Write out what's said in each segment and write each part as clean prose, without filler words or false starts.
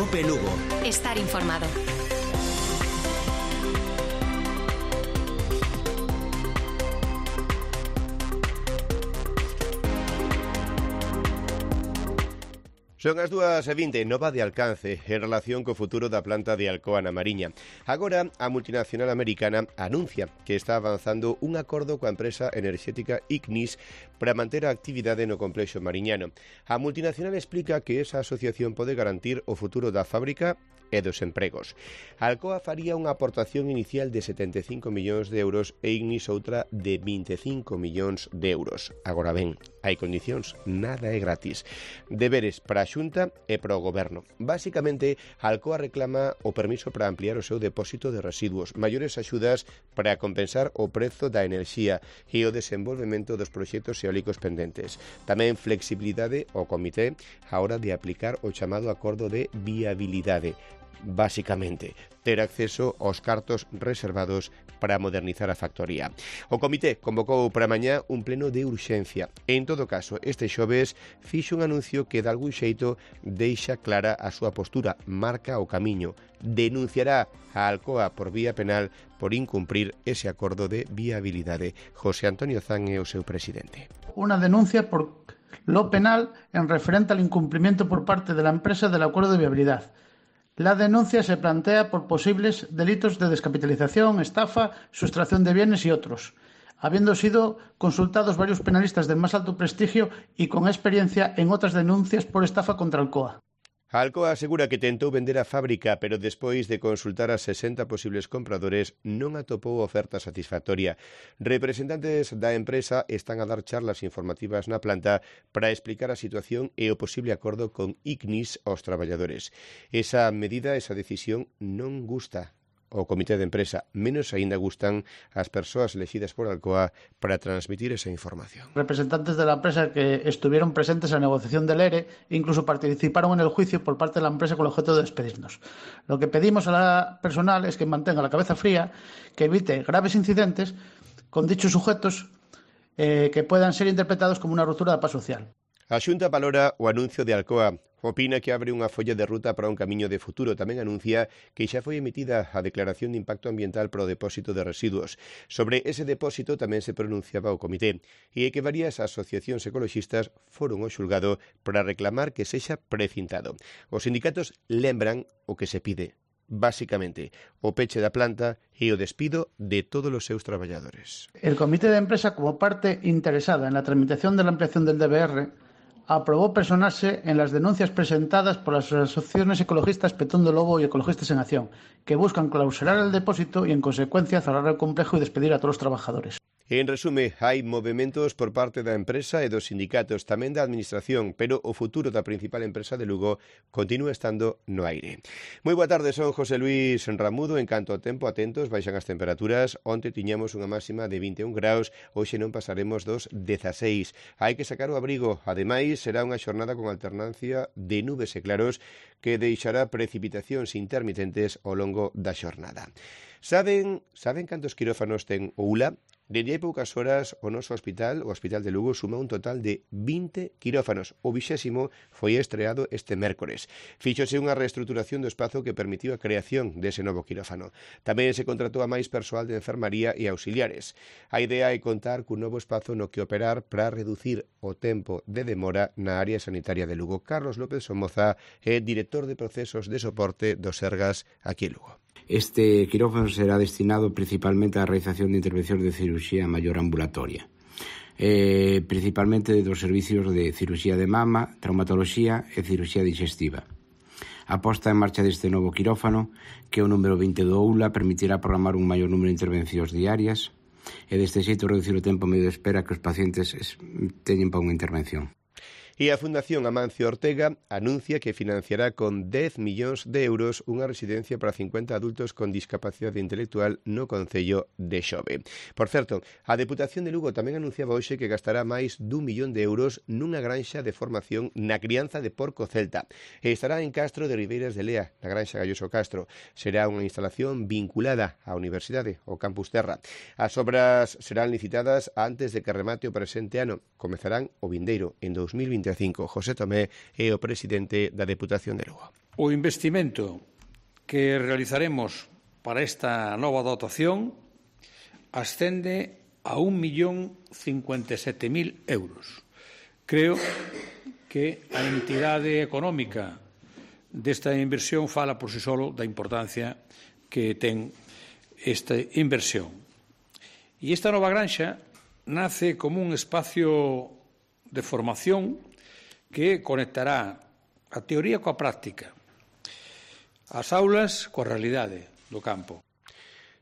Cope Lugo. Estar informado. Son as 2:20, nova de alcance en relación co futuro da planta de Alcoa na Mariña. Agora, a multinacional americana anuncia que está avanzando un acordo coa empresa enerxética Ignis para manter a actividade no complexo mariñano. A multinacional explica que esa asociación pode garantir o futuro da fábrica e dos empregos. Alcoa faría unha aportación inicial de 75 millóns de euros e Ignis outra de 25 millóns de euros. Agora ben, hai condicións, nada é gratis. Deberes para a Xunta e para o Goberno. Básicamente, Alcoa reclama o permiso para ampliar o seu depósito de residuos, maiores axudas para compensar o prezo da enerxía e o desenvolvemento dos proxectos eólicos pendentes. Tamén flexibilidade ao comité á hora de aplicar o chamado acordo de viabilidade. Básicamente, ter acceso aos cartos reservados para modernizar a factoría. O comité convocou para mañá un pleno de urxencia. En todo caso, este xoves fixo un anuncio que de algún xeito deixa clara a súa postura, marca o camiño. Denunciará a Alcoa por vía penal por incumprir ese acordo de viabilidade. José Antonio Zan é o seu presidente. Una denuncia por lo penal en referente al incumplimiento por parte de la empresa del acuerdo de viabilidad. La denuncia se plantea por posibles delitos de descapitalización, estafa, sustracción de bienes y otros, habiendo sido consultados varios penalistas del más alto prestigio y con experiencia en otras denuncias por estafa contra Alcoa. Alcoa asegura que tentou vender a fábrica, pero despois de consultar a 60 posibles compradores non atopou oferta satisfactoria. Representantes da empresa están a dar charlas informativas na planta para explicar a situación e o posible acordo con Ignis aos traballadores. Esa medida, esa decisión non gusta o comité de empresa, menos aínda gustan as persoas elegidas por Alcoa para transmitir esa información. Representantes de la empresa que estuvieron presentes en la negociación del ERE incluso participaron en el juicio por parte de la empresa con el objeto de despedirnos. Lo que pedimos a la personal es que mantenga la cabeza fría, que evite graves incidentes con dichos sujetos que puedan ser interpretados como una ruptura da paz social. A Xunta valora o anuncio de Alcoa. Opina que abre unha folla de ruta para un camiño de futuro. Tamén anuncia que xa foi emitida a declaración de impacto ambiental para o depósito de residuos. Sobre ese depósito tamén se pronunciaba o comité e que varias asociacións ecoloxistas foron ao xulgado para reclamar que sexa precintado. Os sindicatos lembran o que se pide. Básicamente, o peche da planta e o despido de todos os seus traballadores. El comité de empresa, como parte interesada en la tramitación de la ampliación del DBR, aprobó personarse en las denuncias presentadas por las asociaciones ecologistas Petón de Lobo y Ecologistas en Acción, que buscan clausurar el depósito y, en consecuencia, cerrar el complejo y despedir a todos los trabajadores. En resume, hai movementos por parte da empresa e dos sindicatos, tamén da administración, pero o futuro da principal empresa de Lugo continúa estando no aire. Moi boa tarde, son José Luis Ramudo. En canto ao tempo, atentos, baixan as temperaturas. Onte tiñamos unha máxima de 21 graus, hoxe non pasaremos dos 16. Hai que sacar o abrigo. Ademais, será unha xornada con alternancia de nubes e claros que deixará precipitacións intermitentes ao longo da xornada. Saben cantos quirófanos ten o ULA? Dende hai poucas horas o noso hospital, o Hospital de Lugo, suma un total de 20 quirófanos. O 20º foi estreado este mércores. Fíxose unha reestruturación do espazo que permitiu a creación dese novo quirófano. Tamén se contratou a máis persoal de enfermaría e auxiliares. A idea é contar cun novo espazo no que operar para reducir o tempo de demora na área sanitaria de Lugo. Carlos López Somoza é director de procesos de soporte do Sergas aquí en Lugo. Este quirófano será destinado principalmente á realización de intervencións de cirurxía maior ambulatoria, principalmente dos servicios de cirurxía de mama, traumatoloxía e cirurxía digestiva. A posta en marcha deste novo quirófano, que é o número 20 do ULA, permitirá programar un maior número de intervencións diarias e deste xeito reducir o tempo medio de espera que os pacientes teñen para unha intervención. E a Fundación Amancio Ortega anuncia que financiará con 10 millóns de euros unha residencia para 50 adultos con discapacidade intelectual no concello de Xove. Por certo, a Deputación de Lugo tamén anunciaba hoxe que gastará máis d'1 millón de euros nunha granxa de formación na crianza de porco celta. E estará en Castro de Ribeiras de Lea, na granxa Galloso Castro. Será unha instalación vinculada á Universidade, ao Campus Terra. As obras serán licitadas antes de que remate o presente ano. Comezarán o vindeiro, en 2021. 25. José Tomé é o presidente da Deputación de Lugo. O investimento que realizaremos para esta nova dotación ascende a 1.057.000 euros. Creo que a entidade económica desta inversión fala por si solo da importancia que ten esta inversión. E esta nova granxa nace como un espacio de formación que conectará a teoría coa práctica, as aulas coa realidade do campo.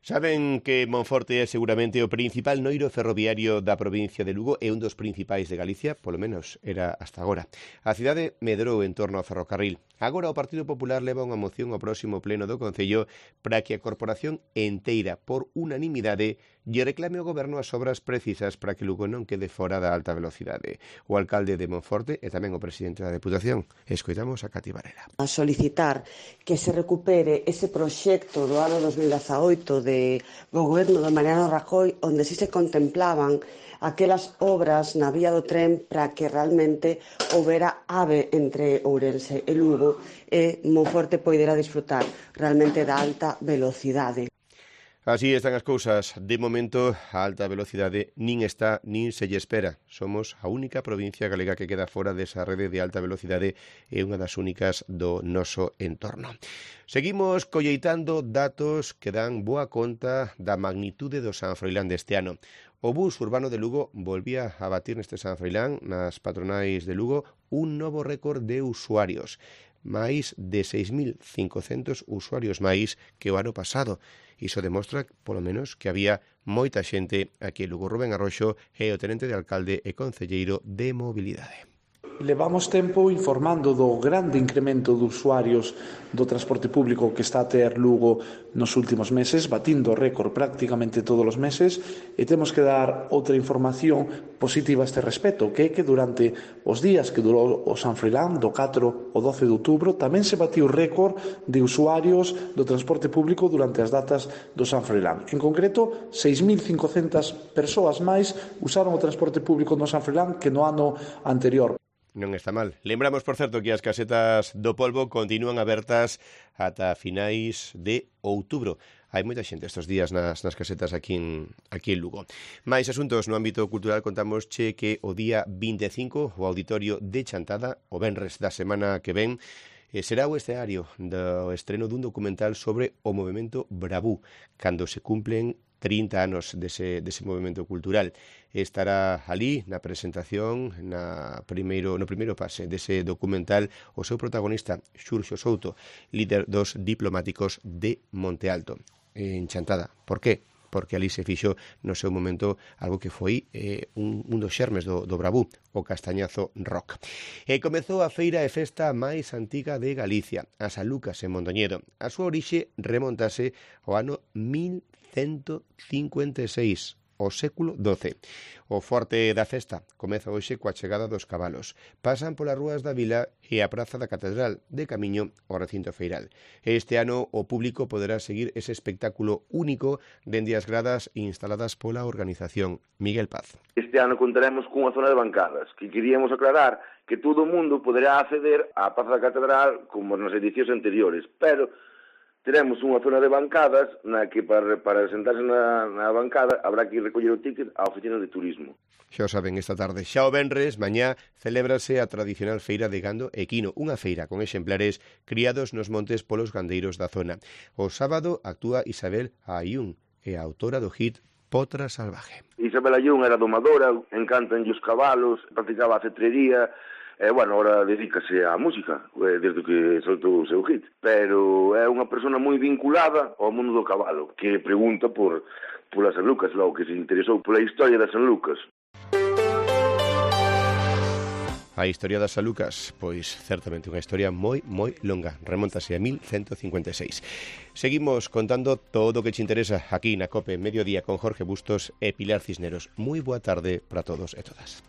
Saben que Monforte é seguramente o principal noiro ferroviario da provincia de Lugo e un dos principais de Galicia, polo menos era hasta agora. A cidade medrou en torno ao ferrocarril. Agora o Partido Popular leva unha moción ao próximo pleno do Concello para que a corporación enteira, por unanimidade, lle reclame ao Goberno as obras precisas para que Lugo non quede fora da alta velocidade. O alcalde de Monforte e tamén o presidente da Deputación. Escoitamos a Cati Varela. A solicitar que se recupere ese proxecto do ano 2018 do goberno de Mariano Rajoy, onde si se contemplaban aquelas obras na vía do tren para que realmente houbera AVE entre Ourense e Lugo e Monforte poidera disfrutar realmente da alta velocidade. Así están as cousas. De momento, a alta velocidade nin está nin se lle espera. Somos a única provincia galega que queda fora desa rede de alta velocidade e unha das únicas do noso entorno. Seguimos colleitando datos que dan boa conta da magnitude do San Froilán deste ano. O bus urbano de Lugo volvía a batir neste San Froilán, nas patronais de Lugo, un novo récord de usuarios. Máis de 6.500 usuarios máis que o ano pasado. Iso demostra, polo menos, que había moita xente aquí en Lugo. Rubén Arroxo é o tenente de alcalde e concelleiro de mobilidade. Levamos tempo informando do grande incremento de usuarios do transporte público que está a ter Lugo nos últimos meses, batindo récord prácticamente todos os meses, e temos que dar outra información positiva a este respecto, que é que durante os días que durou o San Froilán, do 4 ao 12 de outubro, tamén se batiu récord de usuarios do transporte público durante as datas do San Froilán. En concreto, 6.500 persoas máis usaron o transporte público no San Froilán que no ano anterior. Non está mal. Lembramos, por certo, que as casetas do polvo continúan abertas ata finais de outubro. Hai moita xente estes días nas casetas aquí en Lugo. Mais asuntos no ámbito cultural, contamos que o día 25 o Auditorio de Chantada, o venres da semana que ven, será o escenario do estreno dun documental sobre o movemento Bravú, cando se cumplen 30 anos dese movemento cultural. Estará ali na presentación, no primeiro pase dese documental, o seu protagonista, Xurxo Souto, líder dos diplomáticos de Monte Alto, en Chantada. Por qué? Porque ali se fixo no seu momento algo que foi un dos xermes do Bravú, o Castañazo Rock. E comezou a feira e festa máis antiga de Galicia, a San Lucas en Mondoñedo. A súa orixe remontase ao ano 1156, o século XII. O forte da festa comeza hoxe coa chegada dos cabalos. Pasan polas rúas da vila e a praza da Catedral, de camiño ao recinto feiral. Este ano o público poderá seguir ese espectáculo único dende as gradas instaladas pola organización. Miguel Paz. Este ano contaremos cunha zona de bancadas, que queríamos aclarar que todo o mundo poderá acceder á praza da Catedral como nas edicións anteriores, pero teremos unha zona de bancadas na que para sentarse na bancada habrá que recoller o ticket á oficina de turismo. Xa o saben, esta tarde, xa o venres, mañá, celébrase a tradicional feira de gando equino, unha feira con exemplares criados nos montes polos gandeiros da zona. O sábado actúa Isabel Ayún, e a autora do hit Potra Salvaje. Isabel Ayún era domadora, encantanlle os cabalos, practicaba a cetrería, agora dedícase á música, desde que soltou o seu hit. Pero é unha persona moi vinculada ao mundo do cabalo, que pregunta pola San Lucas, logo que se interesou pola historia da San Lucas. A historia da San Lucas, pois certamente unha historia moi longa, remontase a 1156. Seguimos contando todo o que te interesa aquí na COPE Mediodía con Jorge Bustos e Pilar Cisneros. Moi boa tarde para todos e todas.